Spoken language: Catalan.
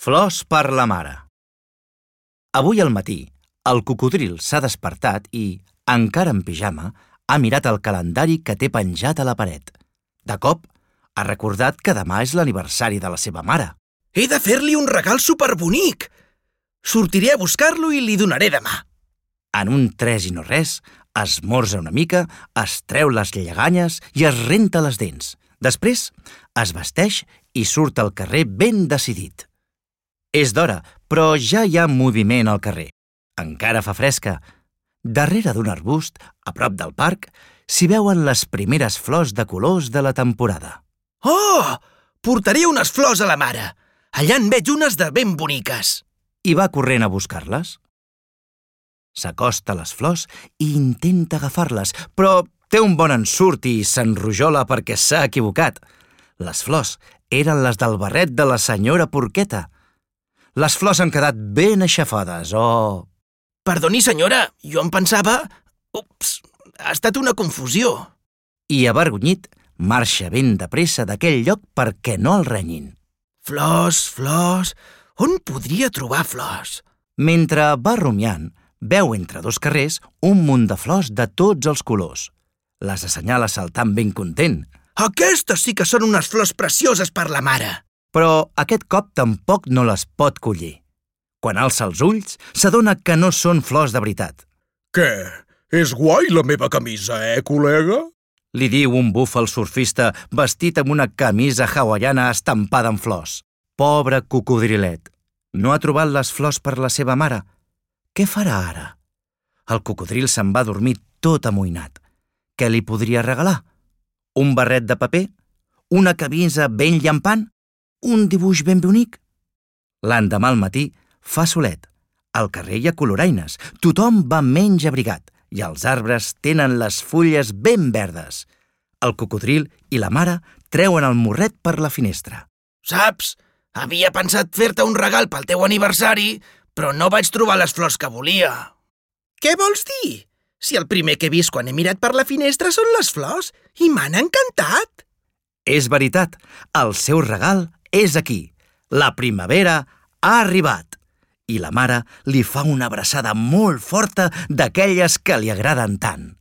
Flors per la mare. Avui al matí, el cocodril s'ha despertat i, encara en pijama, ha mirat el calendari que té penjat a la paret. De cop, ha recordat que demà és l'aniversari de la seva mare. He de fer-li un regal superbonic! Sortiré a buscar-lo i li donaré demà. En un tres i no res, esmorza una mica, es treu les lleganyes i es renta les dents. Després, es vesteix i surt al carrer ben decidit. És d'hora, però ja hi ha moviment al carrer. Encara fa fresca. Darrere d'un arbust, a prop del parc, s'hi veuen les primeres flors de colors de la temporada. Oh! Portaré unes flors a la mare. Allà en veig unes de ben boniques. I va corrent a buscar-les. S'acosta a les flors i intenta agafar-les, però té un bon ensurt i s'enrojola perquè s'ha equivocat. Les flors eren les del barret de la senyora Porqueta. Les flors han quedat ben aixafades, oh! Perdoni, senyora, jo em pensava... Ups, ha estat una confusió. I, avergonyit, marxa ben de pressa d'aquell lloc perquè no el renyin. Flors, flors... On podria trobar flors? Mentre va rumiant, veu entre dos carrers un munt de flors de tots els colors. Les assenyala saltant ben content. Aquestes sí que són unes flors precioses per la mare. Però aquest cop tampoc no les pot collir. Quan alça els ulls, s'adona que no són flors de veritat. Què? És guai la meva camisa, col·lega? Li diu un búfal surfista vestit amb una camisa hawaiana estampada en flors. Pobre cocodrilet. No ha trobat les flors per la seva mare. Què farà ara? El cocodril se'n va dormir tot amoïnat. Què li podria regalar? Un barret de paper? Una camisa ben llampant? Un dibuix ben bonic? L'endemà al matí fa solet. Al carrer hi ha coloraines. Tothom va menys abrigat i els arbres tenen les fulles ben verdes. El cocodril i la mare treuen el morret per la finestra. Saps? Havia pensat fer-te un regal pel teu aniversari, però no vaig trobar les flors que volia. Què vols dir? Si el primer que he vist quan he mirat per la finestra són les flors i m'han encantat. És veritat, el seu regal és aquí. La primavera ha arribat. I la mare li fa una abraçada molt forta d'aquelles que li agraden tant.